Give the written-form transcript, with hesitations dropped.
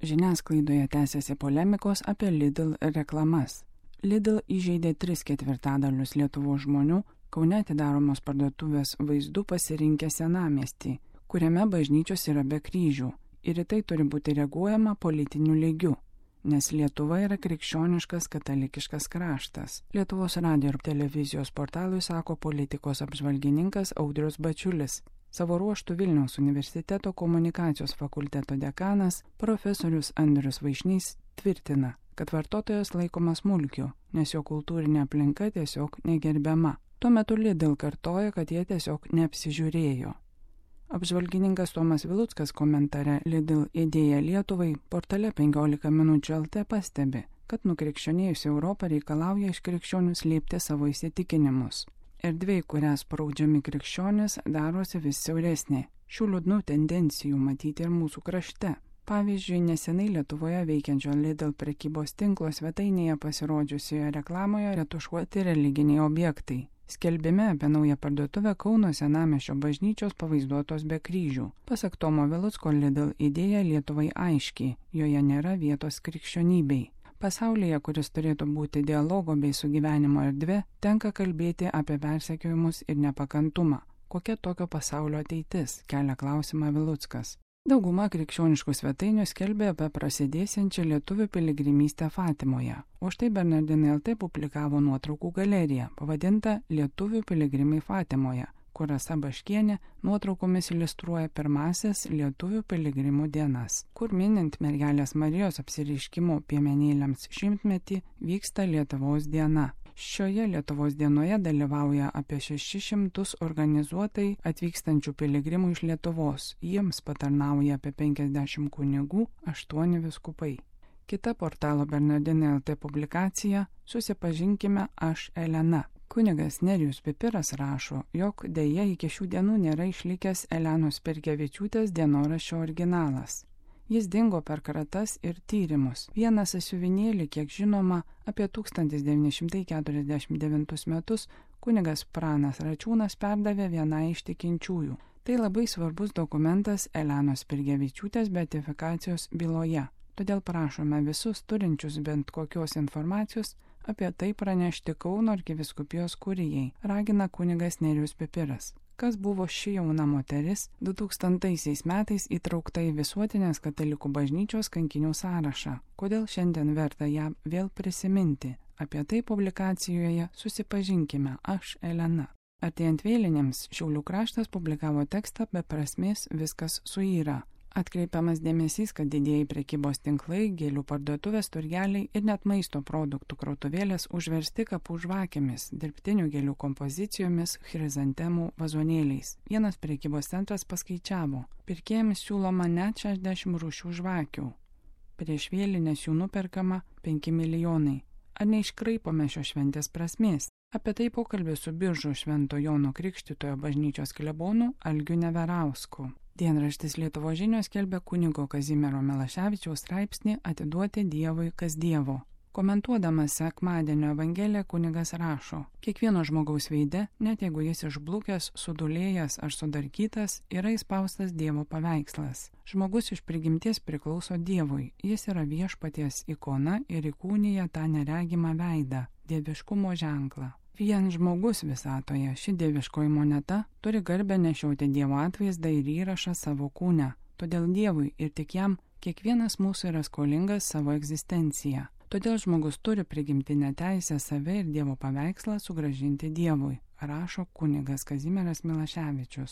Žiniasklaidoje tęsiasi polemikos apie Lidl reklamas. Lidl įžeidė 3/4 Lietuvos žmonių Kaune atidaromos parduotuvės vaizdų pasirinkę senamiestį, kuriame bažnyčios yra be kryžių, ir į tai turi būti reaguojama politiniu lygiu, nes Lietuva yra krikščioniškas katalikiškas kraštas. Lietuvos radijo ir televizijos portalui sako politikos apžvalgininkas Audrius Bačiulis. Savo ruožtų Vilniaus universiteto komunikacijos fakulteto dekanas profesorius Andrius Vaišnys tvirtina, kad vartotojas laikomas mulkiu, nes jo kultūrinė aplinka tiesiog negerbiama. Tuo metu Lidl kartoja, kad jie tiesiog neapsižiūrėjo. Apžvalgininkas Tomas Viluckas komentare Lidl idėja Lietuvai portale 15 minučių LT pastebi, kad nukrikščionėjusi Europą reikalauja iš krikščionių slėpti savo įsitikinimus. Erdvė, kurią spraudžiami krikščionys, darosi vis siauresnė. Šių liūdnų tendencijų matyti ir mūsų krašte. Pavyzdžiui, nesenai Lietuvoje veikiančio Lidl prekybos tinklo svetainėje pasirodžiusioje reklamoje retušuoti religiniai objektai. Skelbime apie naują parduotuvę Kauno senamiesčio bažnyčios pavaizduotos be kryžių. Pasak Tomo Vilucko, Lidl idėja Lietuvai aiški, joje nėra vietos krikščionybei. Pasaulyje, kuris turėtų būti dialogo bei sugyvenimo erdvė, tenka kalbėti apie persekiojimus ir nepakantumą. Kokia tokio pasaulio ateitis, kelia klausimą Viluckas. Dauguma krikščioniškų svetainių skelbė apie prasidėsiančią lietuvių piligrimystę Fatimoje, o štai Bernardinai LT publikavo nuotraukų galeriją, pavadintą Lietuvių piligrimai Fatimoje, kur Rasa Baškienė nuotraukomis iliustruoja pirmąsias lietuvių piligrimų dienas, kur minint mergelės Marijos apsireiškimo piemenėliams 100-metį vyksta Lietuvos diena. Šioje Lietuvos dienoje dalyvauja apie 600 organizuotai atvykstančių piligrimų iš Lietuvos. Jiems patarnauja apie 50 kunigų, 8 vyskupai. Kita portalo Bernardinai LT publikacija Susipažinkime aš Elena. Kunigas Nerijus Pipiras rašo, jog dėja iki šių dienų nėra išlikęs Elenos Perkevičiūtės dienoraščio originalas. Jis dingo per kratas ir tyrimus. Vieną sąsiuvinėlį, kiek žinoma, apie 1949 metus kunigas Pranas Račiūnas perdavė vienai iš tikinčiųjų. Tai labai svarbus dokumentas Elenos Perkevičiūtės beatifikacijos byloje. Todėl prašome visus turinčius bent kokios informacijos apie tai pranešti Kauno arkivyskupijos kurijai, ragina kunigas Nerijus Pipiras. Kas buvo ši jauna moteris 2000 metais įtraukta į visuotinės katalikų bažnyčios kankinių sąrašą. Kodėl šiandien verta ją vėl prisiminti? Apie tai publikacijoje Susipažinkime aš Elena. Artėjant vėlinėms Šiaulių kraštas publikavo tekstą be prasmės viskas suyra. Atkreipiamas dėmesys, kad didieji prekybos tinklai, gėlių parduotuvės, turgeliai ir net maisto produktų krautuvėlės užversti kapų žvakėmis, dirbtinių gėlių kompozicijomis, chrizantemų vazonėliais. Vienas prekybos centras paskaičiavo, pirkėjams siūloma net 60 rūšių žvakių. Prieš vėlinės jų nuperkama 5 milijonai. Ar neiškraipome šios šventės prasmės? Apie tai pokalbis su Biržų Švento Jono Krikštytojo bažnyčios klebonu Algiu Neverausku. Dienraštis Lietuvos žinios skelbia kunigo Kazimiero Milaševičiaus straipsnį Atiduoti Dievui kas Dievo. Komentuodamas sekmadienio evangeliją kunigas rašo, kiekvieno žmogaus veide, net jeigu jis išblukęs, sudulėjęs ar sudarkytas, yra įspaustas Dievo paveikslas. Žmogus iš prigimties priklauso Dievui, jis yra viešpaties ikona ir įkūnija tą neregimą veidą, dieviškumo ženklą. Vien žmogus visatoje, ši dieviškoji moneta, turi garbę nešiauti Dievo atvaizdą ir įrašą savo kūne. Todėl Dievui ir tik jam kiekvienas mūsų yra skolingas savo egzistenciją. Todėl žmogus turi prigimtinę teisę save ir Dievo paveikslą sugrąžinti Dievui, rašo kunigas Kazimieras Milaševičius.